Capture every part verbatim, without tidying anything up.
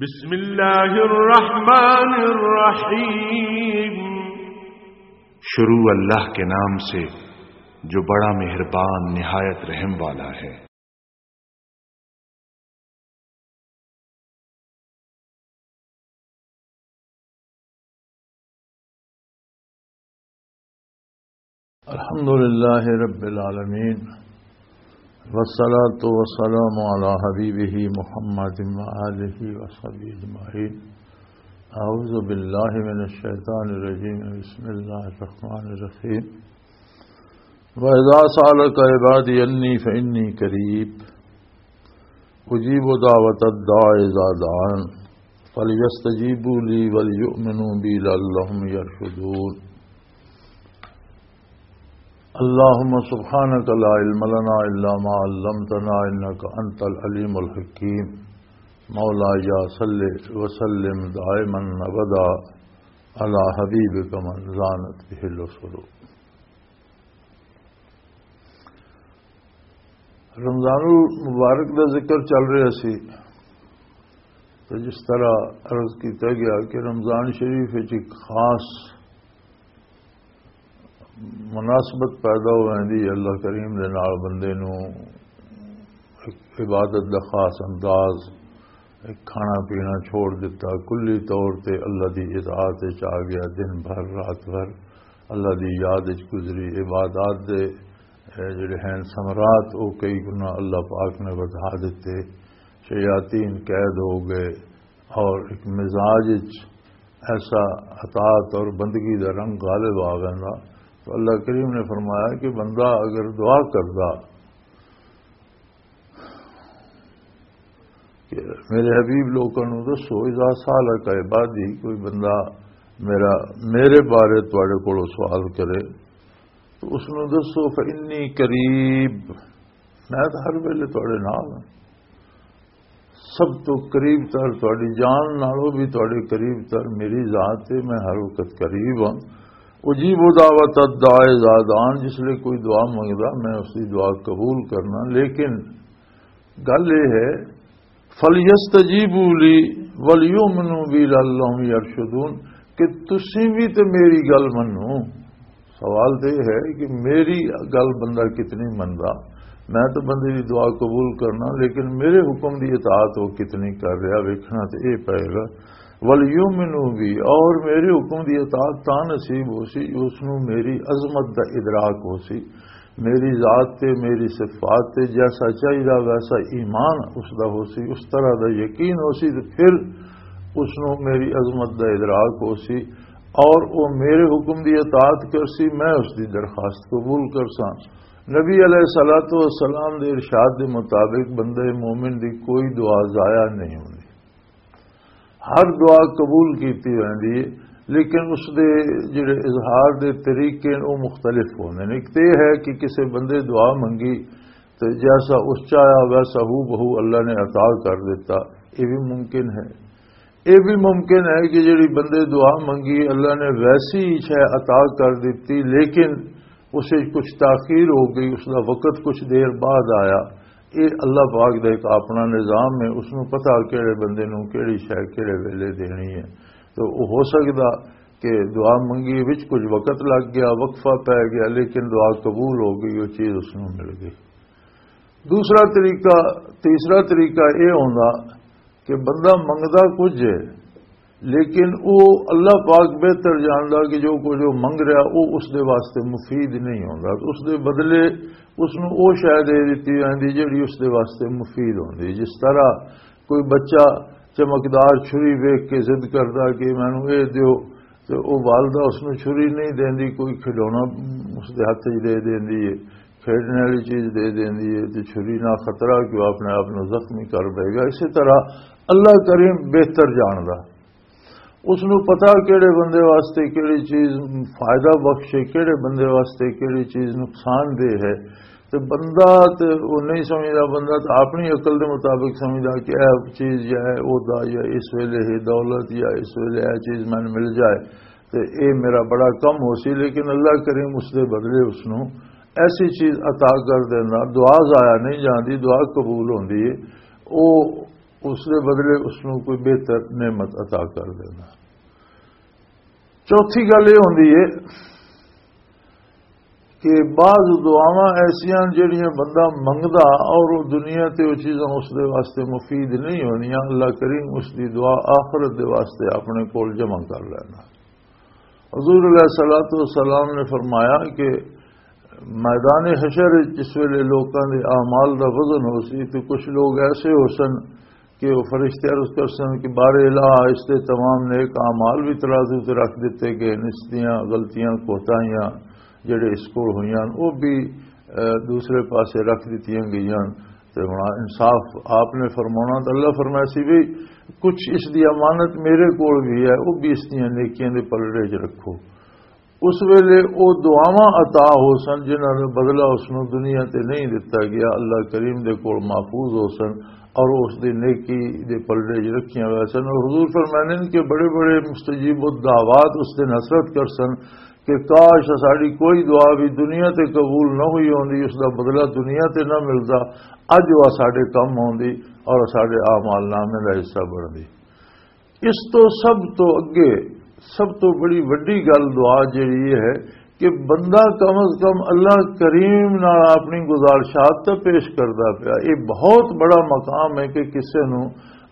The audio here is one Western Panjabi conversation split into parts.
بسم اللہ الرحمن الرحیم۔ شروع اللہ کے نام سے جو بڑا مہربان نہایت رحم والا ہے۔ الحمد لله رب العالمين، والصلاة والسلام على حبيبه محمد وآله وصحبه أجمعين. أعوذ بالله من الشيطان الرجيم. بسم الله الرحمن الرحيم. وإذا سألك عبادي عني فإني قريب أجيب دعوة الداع إذا دعان فليستجيبوا لي وليؤمنوا بي لعلهم يرشدون. اللهم سبحانك لا علم لنا إلا ما علمتنا إنك أنت العليم الحكيم. مولاي صل وسلم دائما أبدا على حبيبك من زانت به الأسر. رمضان المبارک دا ذکر چل رہا سی، تو جس طرح عرض کیتا گیا کہ رمضان شریف وچ ایک خاص مناسبت پیدا ہو ویندی ہے، اللہ کریم دے نال بندے نو ایک عبادت دا خاص انداز، ایک کھانا پینا چھوڑ دتا، کلی طور تے اللہ دی اطاعت وچ آ گیا، دن بھر رات بھر اللہ دی یاد وچ گزری، عبادات دے اے جڑے ہیں ثمرات، وہ کئی گنا اللہ پاک نے ودھا دیتے، شیاطین قید ہو گئے، اور ایک مزاج وچ ایسا اطاعت اور بندگی دا رنگ غالب آ گیا۔ تو اللہ کریم نے فرمایا کہ بندہ اگر دعا کردا کہ میرے حبیب لوکاں نوں دسو، اذا سالک عبادی، کوئی بندہ میرا، میرے بارے تواڈے کولوں سوال کرے، تو اس نوں دسو، فإنی قریب، میں تو ہر ویلے تواڈے نال ہاں۔ سب تو قریب تر، تواڈی جان نالوں بھی تواڈے قریب تر میری ذات ہے، میں ہر وقت قریب ہاں۔ اجیب دعوت الداع اذا دعان، جس لئے کوئی دعا منگدا، میں اس دی دعا قبول کرنا۔ لیکن گل یہ ہے، فَلْيَسْتَجِيبُوا لِي وَلْيُؤْمِنُوا بِي لَعَلَّهُمْ يَرْشُدُونَ، کہ تسی بھی تے میری گل منو۔ سوال تے یہ ہے کہ میری گل بندہ کتنی مندا؟ میں تو بندے دی دعا قبول کرنا، لیکن میرے حکم دی اطاعت وہ کتنی کر رہا، ویکھنا تے یہ پئے گا۔ وَلْيُؤْمِنُوا بِي، اور میرے حکم دی اطاعت تاں نصیب ہو سی، اس نو میری عظمت دا ادراک ہو سی، میری ذات تے، میری صفات تے جیسا چاہیدا ویسا ایمان اس دا ہو سی، اس طرح دا یقین ہو سی، تے پھر اس نو میری عظمت دا ادراک ہو سی، اور وہ میرے حکم دی اطاعت کر سی، میں اس دی درخواست قبول کر ساں۔ نبی علیہ الصلوۃ والسلام دے ارشاد دے مطابق بندے مومن دی کوئی دعا ضائع نہیں ہوندی، ہر دعا قبول کیتی ویندی ہے، لیکن اس دے جڑے اظہار دے طریقے نے، وہ مختلف ہوندے نے۔ ایک تے یہ ہے کہ کسے بندے دعا منگی تے جیسا اس چاہیا ویسا ہو بہو اللہ نے عطا کر دیتا، یہ بھی ممکن ہے۔ یہ بھی ممکن ہے کہ جڑی بندے دعا منگی، اللہ نے ویسی ہی شے عطا کر دیتی، لیکن اس وچ کچھ تاخیر ہو گئی، اس دا وقت کچھ دیر بعد آیا۔ یہ اللہ پاک دا ایک اپنا نظام ہے، اس نو پتہ کہڑے بندے نو کہڑی شے کہڑے ویلے دینی ہے۔ تو وہ ہو سکدا کہ دعا منگی وچ کچھ وقت لگ گیا، وقفہ پے گیا، لیکن دعا قبول ہو گئی، وہ چیز اس نو مل گئی۔ دوسرا طریقہ، تیسرا طریقہ یہ ہوندا کہ بندہ منگدا کچھ ہے، لیکن وہ اللہ پاک بہتر جاندا کہ جو کچھ وہ منگ رہا، وہ اس دے واسطے مفید نہیں ہوندا۔ اس دے بدلے اس نو وہ شے دے دتی جاندی جڑی اس دے واسطے مفید ہوندی۔ جس طرح کوئی بچہ چمکدار چھری ویکھ کے ضد کردا کہ مینوں اے دیو، تے او والدہ اس نوں چھری نہیں دیندی، کوئی کھڈونا اس دے ہتھ وچ دے دیندی ہے، کھیڈنے والی چیز دے دیندی ہے، تے چھری نہ خطرہ کہ وہ اپنے آپ نوں زخمی کر دے گا۔ اسی طرح اللہ کریم بہتر جاندا، اس نوں پتہ کہڑے بندے واسطے کہڑی چیز فائدہ بخش ہے، کہڑے بندے واسطے کہڑی چیز نقصان دہ ہے۔ تے بندہ تے وہ نہیں سمجھدا، بندہ تے اپنی عقل دے مطابق سمجھدا کہ اے چیز یا اے عہدہ یا اس ویلے ہے دولت یا اس ویلے اے چیز مینوں مل جائے تے اے میرا بڑا کم ہو سی، لیکن اللہ کریم اس دے بدلے اس نوں ایسی چیز عطا کر دینا۔ دعا ضائع نہیں جاندی، دعا قبول ہوندی ہے۔ او اس دے بدلے اس نوں کوئی بہتر نعمت عطا کر دینا۔ چوتھی گل یہ ہوندی ہے کہ بعض دعاواں ایسیاں جڑیاں بندہ منگدا اور وہ دنیا تے وہ چیزاں اس دے واسطے مفید نہیں ہونیاں، اللہ کریم اس دی دعا آخرت دے واسطے اپنے کول جمع کر لینا۔ حضور علیہ الصلوۃ والسلام نے فرمایا کہ میدان حشر وچ جس ویلے لوکاں دے اعمال دا وزن ہو سی، تے کچھ لوگ ایسے ہو سن کہ وہ فرشتے عرض کر سن کہ بار الہ، اس دے تمام نیک اعمال بھی ترازو تے رکھ دتے گئے، اس دیاں غلطیاں، کوتاہیاں جڑے اس کول ہوئیاں، وہ بھی، اے، دوسرے پاسے رکھ دتیاں گئیاں۔ تے ہن انصاف آپ نے فرمانا، تے اللہ فرمایا سی بھی کچھ اس دی امانت میرے کول بھی ہے، وہ بھی اس دیاں نیکیاں دے پلڑے چ رکھو۔ اس ویلے او دعاواں عطا ہو سن جنہاں دا بدلہ اس نوں دنیا تے نہیں دتا گیا، اللہ کریم دے کول محفوظ ہو سن اور اس دی نیکی دے پلڑے چ رکھیاں ہوئے سن۔ اور حضور فرماندے نے کہ بڑے بڑے مستجیب الدعوات اس دن حسرت کر سن کہ کاش ساڈی کوئی دعا بھی دنیا تے قبول نہ ہوئی ہوندی، اس دا بدلہ دنیا تے نہ ملدا، اج وہ ساڈے کم ہوندی اور ساڈے اعمال نامے دا حصہ بندی۔ اس تو سب تو اگے، سب تو بڑی وڈی گل دعا جڑی یہ ہے کہ بندہ کم از کم اللہ کریم نال اپنی گزارشات تے پیش کردا پیا۔ یہ بہت بڑا مقام ہے کہ کسے نو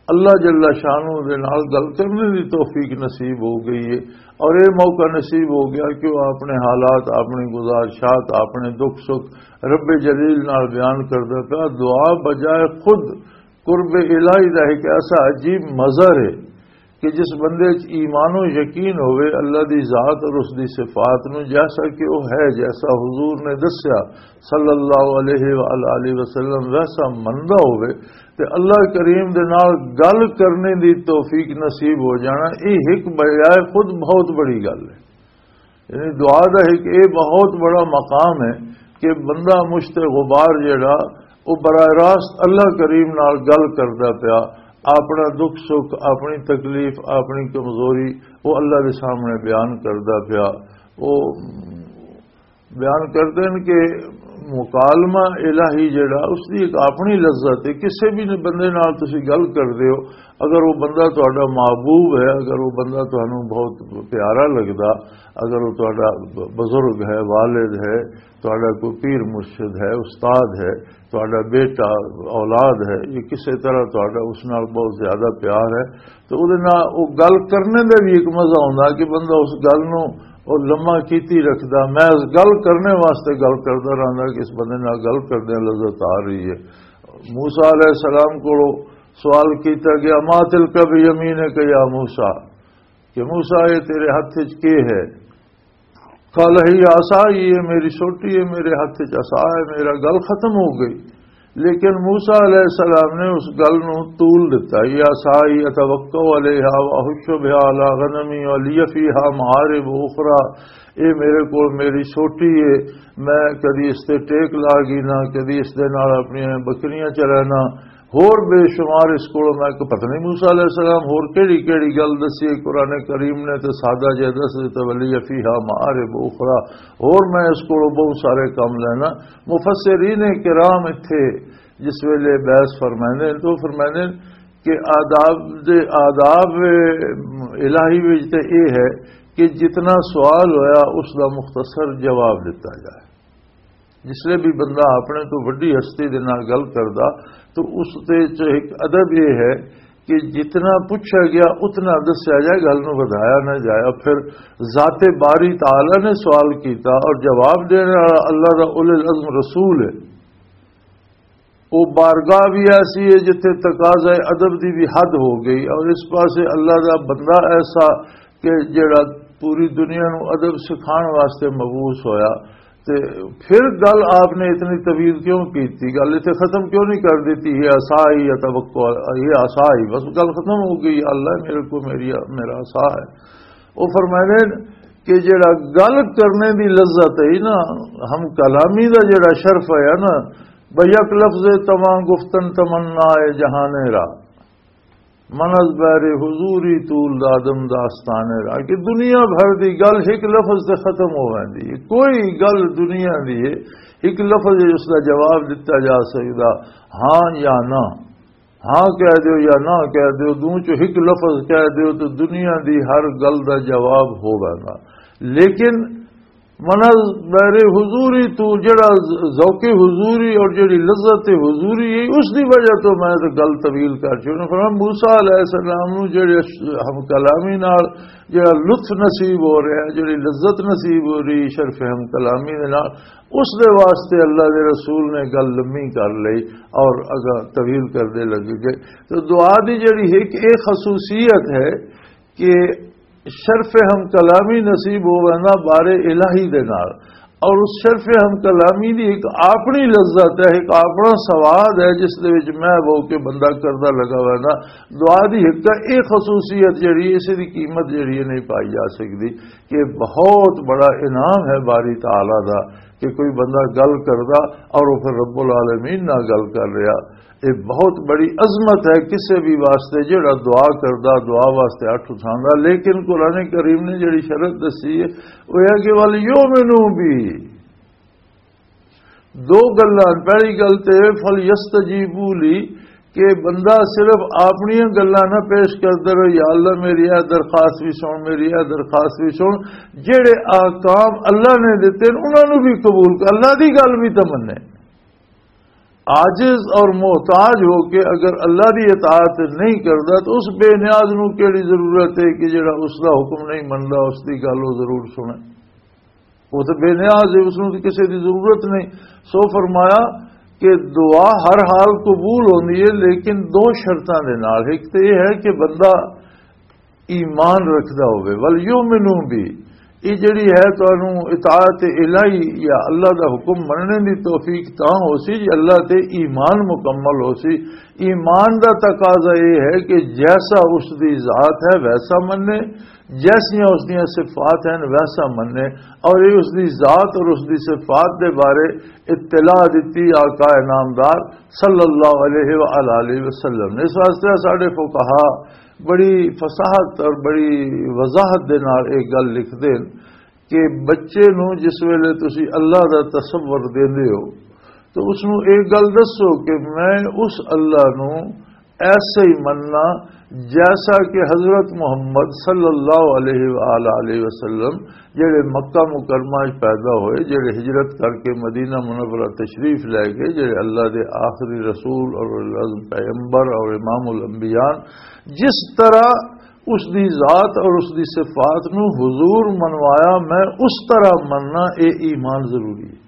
اللہ جل شانہ دے نال گل کرنے دی توفیق نصیب ہو گئی ہے، اور یہ موقع نصیب ہو گیا کہ وہ اپنے حالات، اپنی گزارشات، اپنے دکھ سکھ رب جلیل نال بیان کردا پیا۔ دعا بجائے خود قرب الہی دا ایک ایسا عجیب مظہر ہے کہ جس بندے چ ایمان و یقین ہوئے اللہ دی ذات اور اس دی صفات نو، جیسا کہ وہ ہے، جیسا حضور نے دسیا صلی اللہ علیہ وآلہ وسلم، ویسا مندا ہوئے، تے اللہ کریم دے نال گل کرنے دی توفیق نصیب ہو جانا، یہ ایک بجائے خود بہت بڑی گل ہے۔ یعنی دعا دا ایک یہ بہت بڑا مقام ہے کہ بندہ مشت غبار جڑا، وہ براہ راست اللہ کریم نال گل کردا پیا، اپنا دکھ سکھ، اپنی تکلیف، اپنی کمزوری وہ اللہ دے سامنے بیان کردا پیا۔ وہ بیان کردے نے کہ مکالمہ الہی جڑا، اس دی ایک اپنی لذت ہے۔ کسے بھی بندے نال تسی گل کردے ہو، اگر وہ بندہ تہاڈا محبوب ہے، اگر وہ بندہ تہانوں بہت پیارا لگدا، اگر وہ تہاڈا ب-، بزرگ ہے، والد ہے، تہاڈا کوئی پیر مرشد ہے، استاد ہے، تہاڈا بیٹا، اولاد ہے، یہ کسے طرح تہاڈا اس نال بہت زیادہ پیار ہے، تو اودے نال او گل کرنے دے بھی ایک مزہ ہوندا کہ بندہ اس گل نو او لمحہ کیتی رکھدا، محض گل کرنے واسطے گل کردا رہندا کہ اس بندے نال گل کردے لذت آ رہی ہے۔ موسیٰ علیہ السلام کولوں سوال کیتا گیا، "ما تلک بیمینک یا موسیٰ"، کہ موسیٰ، یہ تیرے ہتھ وچ کی ہے؟ قال هي عصاي، یہ میری سوٹی ہے، میرے ہتھ وچ عصا ہے، میرا گل ختم ہو گئی۔ لیکن موسیٰ علیہ السلام نے اس گل نو طول دتا، "هي عصاي أتوكأ عليها وأهش بها على غنمي ولي فيها مآرب أخرى"، اے میرے کول میری سوٹی ہے، میں کدی اس تے ٹیک لا گینا، کدی اس دے نال اپنی بکریاں چرانا، ہور بے شمار اس کول میں، کہ پتہ نہیں موسیٰ علیہ السلام ہور کیڑی کیڑی گل دسی ہے قرآن کریم نے، تے سادہ جے دس دتا، "ولي فيها مآرب أخرى"، ہور میں اس کول بہت سارے کم لینا۔ مفسرین کرام اتھے جس ویلے بحث فرمائندے نے، تو فرمائندے نے کہ آداب دے، آداب الہی وچ تے اے ہے کہ جتنا سوال ہویا، اس دا مختصر جواب دتا جائے۔ جس لئے بھی بندہ اپنے تو وڈی ہستی دے نال گل کردا، تو اس تے چ ایک ادب یہ ہے کہ جتنا پوچھا گیا، اتنا دسیا جائے، گل نو ودھایا نہ جائے۔ پھر ذات باری تعالیٰ نے سوال کیتا اور جواب دینے والا اللہ دا اولو العزم رسول ہے۔ وہ بارگاہ بھی ایسی ہے جتھے تقاضۂ ادب دی بھی حد ہو گئی، اور اس پاسے اللہ دا بندہ ایسا کہ جڑا پوری دنیا نو ادب سکھان واسطے مبعوث ہویا، تے پھر گل آپ نے اتنی طویل کیوں کی تھی؟ گل اتنے ختم کیوں نہیں کر دیتی؟ یہ عصا ہی اتوکل، یہ عصا ہی، بس گل ختم ہو گئی۔ اللہ میرے کو، میری، میرا عصا ہے۔ وہ فرمائے کہ جڑا گل کرنے دی لذت ہے نا، ہم کلامی دا جڑا شرف ہے نا، بھئی یک لفظ تمام گفتن تمنا ہے جہان را، من از بہر حضوری طول دادم داستان را، کہ دنیا بھر دی گل ایک لفظ تے ختم ہو ویندی ہے۔ کوئی گل دنیا دی ہے، ایک لفظ اس دا جواب دتا جا سکدا، ہاں یا نہ۔ ہاں کہہ دیو یا نہ کہہ دیو، دو چ ایک لفظ کہہ دیو تو دنیا دی ہر گل دا جواب ہو ویندا۔ لیکن من بحر حضوری تو جڑا ذوق حضوری اور جڑی لذت حضوری ہے، اس دی وجہ تو میں تے گل طویل کر چکا۔ فرمایا، موسیٰ علیہ السلام نو جڑے ہم کلامی نال جڑا لطف نصیب ہو رہا ہے، جڑی لذت نصیب ہو رہی شرف ہم کلامی دے نال، اس دے واسطے اللہ دے رسول نے گل لمبی کر لئی اور اگا طویل کردے لگے گئے۔ تو دعا دی جڑی ایک یہ خصوصیت ہے کہ شرف ہم کلامی نصیب ہو وینا بارے الہی دے نال، اور اس شرف ہم کلامی دی ایک اپنی لذت ہے، ایک اپنا سواد ہے، جس دے وچ میں وہ کہ بندہ کردا لگا وینا۔ دعا دی ایک یہ خصوصیت جڑی ہے، اس دی قیمت جڑی ہے نہیں پائی جا سکتی۔ کہ بہت بڑا انعام ہے باری تعالیٰ دا کہ کوئی بندہ گل کردا اور وہ پھر رب العالمین نال گل کر رہا۔ یہ بہت بڑی عظمت ہے کسے بھی واسطے، جڑا دعا کردا، دعا واسطے ہاتھ اٹھاندا۔ لیکن قرآن کریم نے جڑی شرط دسی ہے، وہ ہے کہ وَلْيُؤْمِنُوا بِي، دو گلاں۔ پہلی گل تے فَلْيَسْتَجِيبُوا لِي، کہ بندہ صرف اپنی گلاں نہ پیش کردا رہے، یا اللہ میری اے درخواست بھی سن، میری اے درخواست بھی سن۔ جڑے احکام اللہ نے دتے نے، انہاں نوں بھی قبول کر، اللہ دی گل بھی تے منے۔ عاجز اور محتاج ہو کے اگر اللہ دی اطاعت نہیں کردا تو اس بے نیاز نوں کیڑی ضرورت ہے کہ جڑا اس دا حکم نہیں مندا، اس دی گل وہ ضرور سنے۔ وہ تو بے نیاز ہے، اس نوں تو کسی دی ضرورت نہیں۔ سو فرمایا کہ دعا ہر حال قبول ہوندی ہے، لیکن دو شرطاں دے نال۔ ایک تو یہ ہے کہ بندہ ایمان رکھدا ہوے، وَلْيُؤْمِنُوا بِي، یہ جڑی ہے تانوں اطاعت الہی یا اللہ دا حکم مننے دی توفیق تاں ہو سی جے اللہ تے ایمان مکمل ہو سی۔ ایمان دا تقاضا یہ ہے کہ جیسا اس دی ذات ہے ویسا مننے، جیسیاں اس دیاں صفات ہیں ویسا مننے، اور یہ اس دی ذات اور اس دی صفات دے بارے اطلاع دتی آقا انعامدار صلی اللہ علیہ وآلہ وسلم نے۔ اس واسطے ساڈے فقہا بڑی فصاحت اور بڑی وضاحت دے نال ایک گل لکھدے نے کہ بچے نوں جس ویلے تسی اللہ دا تصور دیندے ہو تو اس نوں ایک گل دسو کہ میں اس اللہ نوں ایسا ہی مننا جیسا کہ حضرت محمد صلی اللہ علیہ وآلہ وسلم جڑے مکہ مکرمہ وچ پیدا ہوئے، جڑے ہجرت کر کے مدینہ منورہ تشریف لے گئے، جڑے اللہ دے آخری رسول اور اولو العزم پیغمبر اور امام الانبیاء، جس طرح اس دی ذات اور اس دی صفات نو حضور منوایا، میں اس طرح مننا، اے ایمان ضروری ہے۔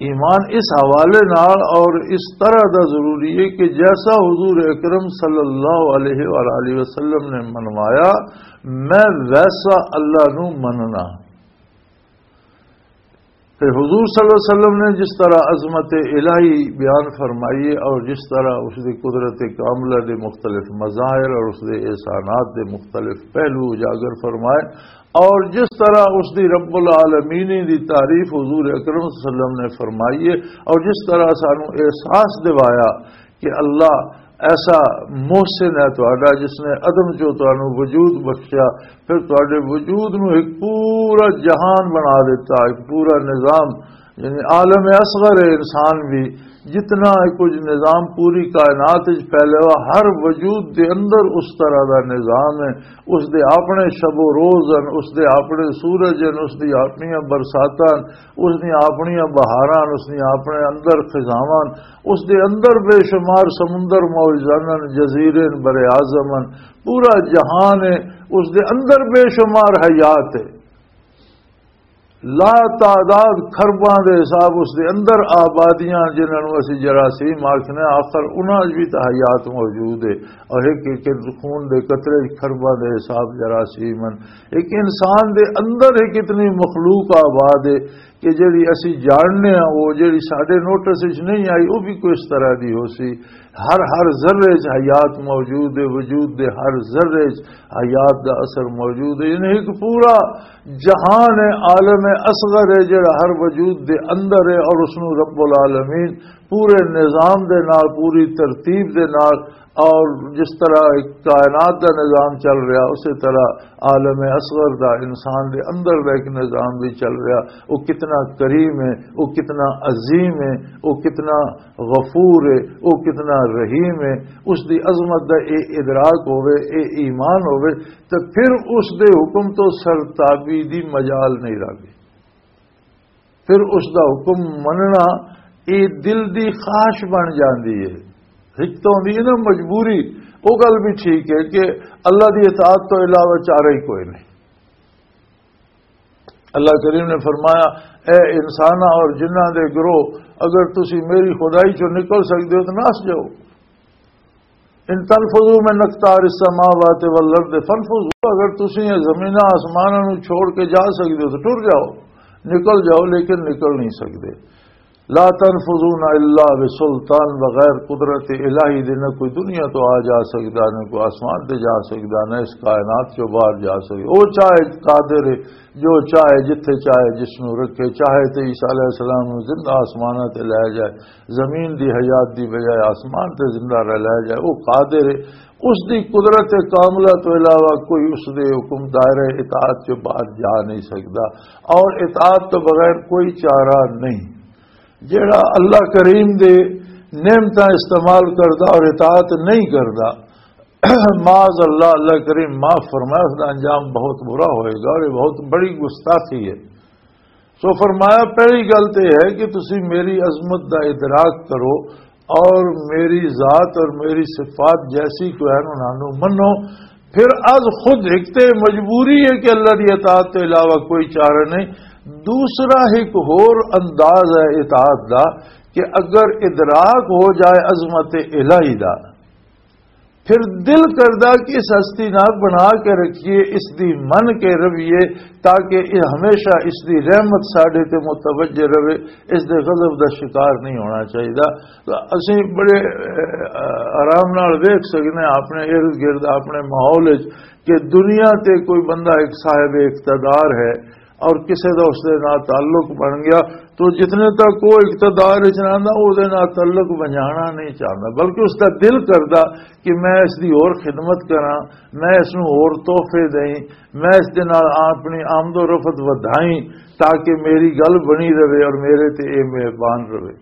ایمان اس حوالے نال اور اس طرح دا ضروری ہے کہ جیسا حضور اکرم صلی اللہ علیہ وآلہ وسلم نے منوایا، میں ویسا اللہ نو مننا۔ تے حضور صلی اللہ علیہ وسلم نے جس طرح عظمت الہی بیان فرمائی ہے اور جس طرح اس دی قدرت کاملہ دے مختلف مظاہر اور اس دے احسانات دے مختلف پہلو اجاگر فرمائے، اور جس طرح اس دی رب العالمین دی تعریف حضور اکرم صلی اللہ علیہ وسلم نے فرمائی ہے، اور جس طرح سانو احساس دوایا کہ اللہ ایسا محسن ہے تہاڈا جس نے عدم چوں تانوں وجود بخشیا، پھر تہاڈے وجود نو ایک پورا جہان بنا دیتا، ایک پورا نظام، یعنی عالم اصغر ہے انسان بھی، جتنا کچھ نظام پوری کائنات وچ پھیلے ہوا، ہر وجود دے اندر اس طرح دا نظام ہے۔ اس دے اپنے شب و روز ہیں، اس دے اپنے سورج ہیں، اس دی اپنیاں برساتاں، اس دیاں اپنیاں بہاراں، اس دیاں اپنے اندر خزاواں، اس دے اندر بے شمار سمندر موجزن، جزیرے، بر اعظم، پورا جہان ہے، اس دے اندر بے شمار حیات ہے، لا تعداد خرباں دے حساب اس دے اندر آبادیاں، جنہاں نوں اسی جراثیم آکھنے، آخر انہاں وچ بھی تاں حیات موجود ہے، اور ایک ایک خون دے قطرے وچ خرباں دے حساب جراثیم ہیں۔ ایک انسان دے اندر ایک اتنی مخلوق آباد ہے کہ جڑی اسی جاننے ہاں، وہ جڑی ساڈے نوٹس وچ نہیں آئی، وہ بھی کوئی اس طرح دی ہو سی۔ ہر، ہر ذرے وچ حیات موجود ہے، وجود دے ہر ذرے وچ حیات دا اثر موجود ہے۔ یعنی ایک پورا جہان ہے، عالم اصغر ہے، جڑا ہر وجود دے اندر ہے، اور اس نوں رب العالمین پورے نظام دے نال، پوری ترتیب دے نال، اور جس طرح ایک کائنات دا نظام چل رہا، اسی طرح عالم اصغر دا، انسان دے اندر دا ایک نظام بھی چل رہا۔ وہ کتنا کریم ہے، وہ کتنا عظیم ہے، وہ کتنا غفور ہے، وہ کتنا رحیم ہے۔ اس دی عظمت دا اے ادراک ہوئے، اے ایمان ہوئے، تے پھر اس دے حکم تو سرتابی دی مجال نہیں رہندی۔ پھر اس دا حکم مننا، اے دل دی خواہش بن جاندی ہے۔ ہک تو ہوندی ہے نا مجبوری، وہ گل بھی ٹھیک ہے کہ اللہ دی اطاعت تو علاوہ چارہ ہی کوئی نہیں۔ اللہ کریم نے فرمایا، اے انساناں اور جنہاں دے گروہ، اگر تسی میری خدائی چوں نکل سکدے ہو تو نس جاؤ۔ ان تنفذوا من اقطار السماوات والارض فانفذوا، اگر تسی یہ زمیناں آسماناں نوں چھوڑ کے جا سکدے ہو تو ٹر جاؤ، نکل جاؤ، لیکن نکل نہیں سکدے۔ لا تنفذون الا بسلطان، بغیر قدرت الہی دے نہ کوئی دنیا تو آ جا سکدا، نہ کوئی آسمان تے جا سکدا، نہ اس کائنات چوں باہر جا سکدا۔ او چاہے قادر ہے، جو چاہے جتھے چاہے جس نوں رکھے، چاہے تے عیسیٰ علیہ السلام نوں زندہ آسماناں تے لے جائے، زمین دی حیات دی بجائے آسمان تے زندہ رہ لے جائے، وہ قادر ہے۔ اس دی قدرت کاملہ تو علاوہ کوئی اس دے حکم دائرہ اطاعت چ باہر جا نہیں سکدا، اور اطاعت تو بغیر کوئی چارہ نہیں۔ جڑا اللہ کریم دے نعمتاں استعمال کردا اور اطاعت نہیں کردا، معاذ اللہ، اللہ کریم معاف فرمائے، اس دا انجام بہت برا ہوئے گا اور یہ بہت بڑی گستاخی ہے۔ سو فرمایا، پہلی گل تے ہے کہ تسی میری عظمت دا ادراک کرو اور میری ذات اور میری صفات جیسی کوئی ہے انہاں نوں منو۔ پھر از خود ایک تے مجبوری ہے کہ اللہ دی اطاعت تو علاوہ کوئی چارہ نہیں۔ دوسرا ایک ہور انداز ہے اطاعت دا کہ اگر ادراک ہو جائے عظمت الہی دا، پھر دل کردا کہ اس ہستی نال بنا کے رکھیے، اس دی من کے رویے، تاکہ یہ ہمیشہ اس دی رحمت ساڈے تے متوجہ رہے، اس دے غضب دا شکار نہیں ہونا چاہیدا۔ تو اسیں بڑے، اہ، آرام نال ویکھ سکنے اپنے ارد گرد، اپنے ماحول وچ، کہ دنیا تے کوئی بندہ ایک صاحب اقتدار ہے، اور کسے دا اس دے نال تعلق بن گیا، تو جتنے تک وہ اقتدار وچ رہندا، او دے نال تعلق بنجانا نہیں چاہندا، بلکہ اس دا دل کردا کہ میں اس دی اور خدمت کراں، میں اس نوں اور تحفے دئیں، میں اس دے نال اپنی آمد و رفت ودھائیں، تاکہ میری گل بنی رہے اور میرے تے اے مہربان رہے۔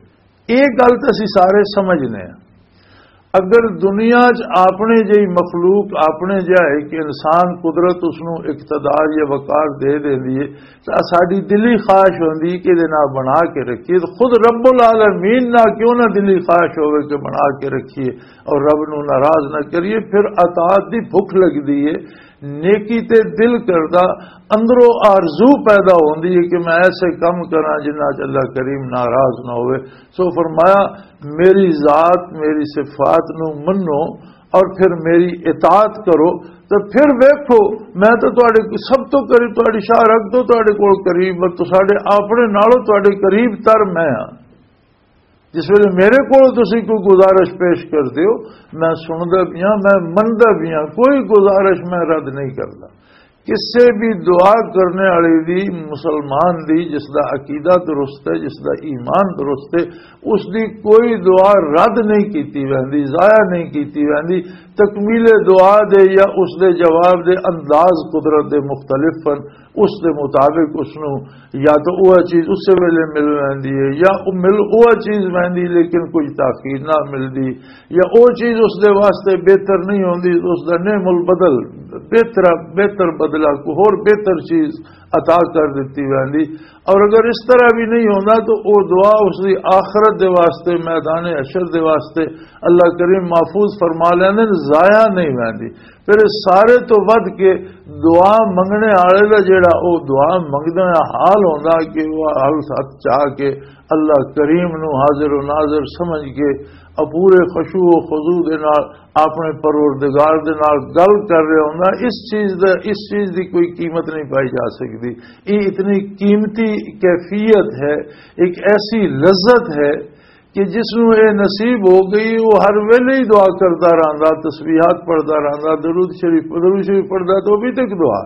یہ گل تے اسی سارے سمجھنے ہیں۔ اگر دنیا چ اپنے جہی مخلوق، اپنے جہا ایک انسان، قدرت اس نوں اقتدار یا وقار دے دیندی ہے، تو ساڈی دلی خواہش ہوندی کہ دے نال بنا کے رکھیے۔ تو خود رب العالمین نہ کیوں نہ دلی خواہش ہوئے کہ بنا کے رکھیے اور رب نوں ناراض نہ کریے، پھر اطاعت دی بھوک لگدی ہے۔ نیکی تے دل کردا، اندروں آرزو پیدا ہوندی ہے کہ میں ایسے کم کراں جنہاں چ اللہ کریم ناراض نہ ہوئے۔ سو فرمایا، میری ذات، میری صفات نو منو اور پھر میری اطاعت کرو، تو پھر ویکھو، میں تو تہاڈے سب تو قریب، تہاڈی شاہ رگ تو تہاڈے کول قریب، پر تساڈے اپنے نالوں تہاڈے قریب تر میں ہاں۔ جس ویلے میرے کول تسی کوئی گزارش پیش کردے ہو، میں سندا بھی ہاں، میں مندا بھی ہاں، کوئی گزارش میں رد نہیں کردا۔ کسے بھی دعا کرنے والے دی، مسلمان دی، جس دا عقیدہ درست ہے، جس دا ایمان درست ہے، اس دی کوئی دعا رد نہیں کیتی ویندی، ضائع نہیں کیتی ویندی۔ تکمیل دعا دے یا اس دے جواب دے انداز قدرت دے مختلف ہن، اس دے مطابق اس نو یا تو وہ چیز اسے ویلے مل ویندی ہے، یا وہ مل وہ چیز ویندی لیکن کوئی تاخیر نہ ملدی، یا وہ چیز اس دے واسطے بہتر نہیں ہوندی، اس دا نعم البدل، بہتر، بہتر بدلہ، کوئی ہور بہتر چیز عطا کر دتی ویندی۔ اور اگر اس طرح بھی نہیں ہوندا تو وہ دعا اس دی آخرت دے واسطے، میدان حشر دے واسطے اللہ کریم محفوظ فرما لیندے نے، ضائع نہیں ویندی۔ پھر اس سارے تو ود کے دعا منگنے والے دا جڑا او دعا منگدے حال ہوندا کہ وہ حال ساتھ چاہ کے اللہ کریم نو حاضر و ناظر سمجھ کے پورے خشوع و خضوع دے نال اپنے پروردگار دے نال گل کر رہا ہوندا، اس چیز دا، اس چیز دی کوئی قیمت نہیں پائی جا سکدی۔ یہ اتنی قیمتی کیفیت ہے، ایک ایسی لذت ہے کہ جس نوں یہ نصیب ہو گئی، وہ ہر ویلے ہی دعا کردا رہندا، تسبیحات پڑھدا رہندا، درود شریف، درود شریف پڑھدا تو ابھی تک دعا،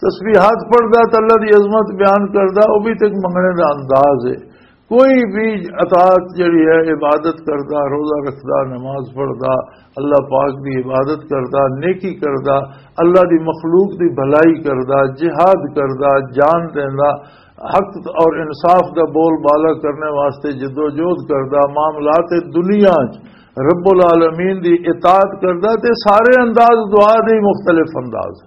تسبیحات پڑھدا تو اللہ دی عظمت بیان کردا، وہ بھی تک منگنے دا انداز ہے۔ کوئی بھی اطاعت جڑی ہے، عبادت کردا، روزہ رکھدا، نماز پڑھدا، اللہ پاک دی عبادت کردا، نیکی کردا، اللہ دی مخلوق دی بھلائی کردا، جہاد کردا، جان دیندا، حق اور انصاف دا بول بالا کرنے واسطے جدوجہد کردا، معاملات دنیا چ رب العالمین دی اطاعت کردا، تے سارے انداز دعا دے ہی مختلف انداز،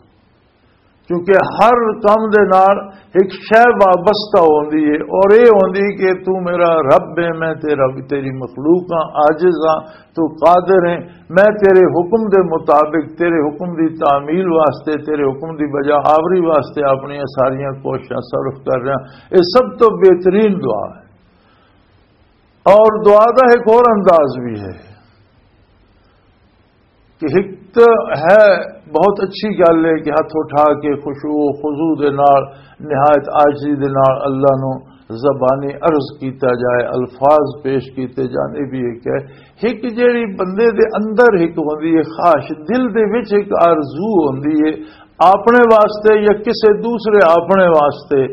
کیونکہ ہر کم دے نال ایک شے وابستہ ہوندی ہے، اور یہ ہوندی کہ تو میرا رب ہے، میں تیرا، تیری مخلوق ہاں، عاجز ہاں، تو قادر ہے، میں تیرے حکم دے مطابق، تیرے حکم دی تعمیل واسطے، تیرے حکم دی بجا آوری واسطے اپنی ساریاں کوششاں صرف کر رہا۔ یہ سب تو بہترین دعا ہے۔ اور دعا دا ایک اور انداز بھی ہے کہ ایک تو ہے، بہت اچھی گل ہے کہ ہاتھ اٹھا کے خشوع و خضوع دے نال، نہایت عاجزی دے نال اللہ نو زبانی عرض کیتا جائے، الفاظ پیش کیتے جان، یہ بھی ایک ہے۔ ایک جیڑی بندے دے اندر ایک ہوندی ہے خواہش، دل دے وچ ایک آرزو ہوندی ہے اپنے واسطے یا کسے دوسرے اپنے واسطے،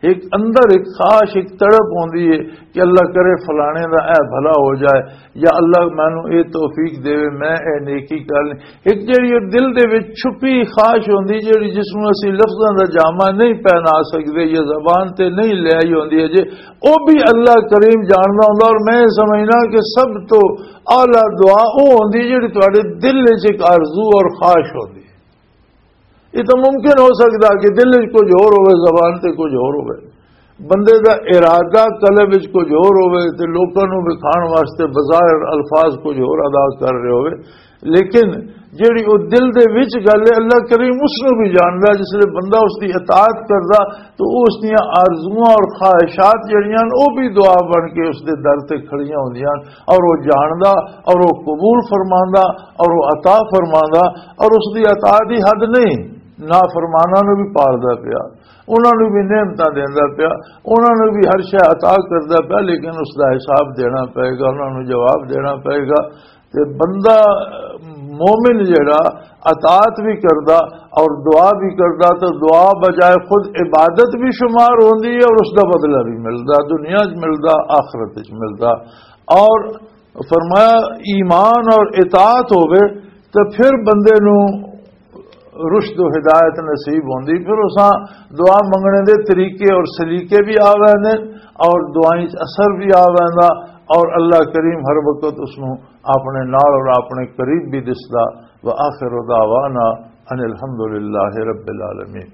ایک اندر ایک خواہش، ایک تڑپ ہوندی ہے کہ اللہ کرے فلانے دا اے بھلا ہو جائے، یا اللہ مینوں اے توفیق دیوے، میں اے نیکی کر لیں۔ ایک جڑی او دل دے وچ چھپی خواہش ہوندی، جڑی جس نوں اسی لفظاں دا جامہ نہیں پہنا سکدے یا زبان تے نہیں لے آئی ہوندی اجے، او بھی اللہ کریم جاندا ہوندا۔ اور میں سمجھنا کہ سب تو اعلیٰ دعا او ہوندی جڑی تواڈے دل وچ ایک آرزو اور خواہش ہوندی۔ یہ تو ممکن ہو سکدا کہ دل وچ کچھ ہور ہوے، زبان تے کچھ ہور ہوے، بندے دا ارادہ قلب وچ کچھ ہور ہوے تے لوکاں نوں وکھاؤن واسطے بظاہر الفاظ کچھ ہور ادا کر رہے ہوے، لیکن جیڑی او دل دے وچ گل ہے، اللہ کریم اس نوں بھی جاندا۔ جس لے بندہ اس دی اطاعت کردا تو اس دیاں آرزواں اور خواہشات جڑیاں نے، او بھی دعا بن کے اس دے در تے کھڑیاں ہوندیاں نے، اور وہ جاندا اور وہ قبول فرماندا اور وہ عطا فرماندا، اور اس دی عطا دی حد نہیں، نافرماناں نوں بھی پالدا پیا، انہاں نوں بھی نعمتاں دیندا پیا، انہاں نوں بھی ہر شے عطا کردا پیا، لیکن اس دا حساب دینا پئے گا، انہاں نوں جواب دینا پئے گا۔ تے بندہ مومن جڑا اطاعت بھی کردا اور دعا بھی کردا، تو دعا بجائے خود عبادت بھی شمار ہوندی ہے اور اس دا بدلہ بھی ملدا، دنیا چ ملدا، آخرت چ ملدا۔ اور فرمایا، ایمان اور اطاعت ہووے تو پھر بندے نوں رشد و ہدایت نصیب ہوندی۔ پھر اساں دعا منگنے دے طریقے اور سلیقے بھی آ ویندے اور دعائیں چ اثر بھی آ ویندا، اور اللہ کریم ہر وقت اس نوں اپنے نال اور اپنے قریب بھی دسدا۔ وآخر دعوانا ان الحمدللہ رب العالمین۔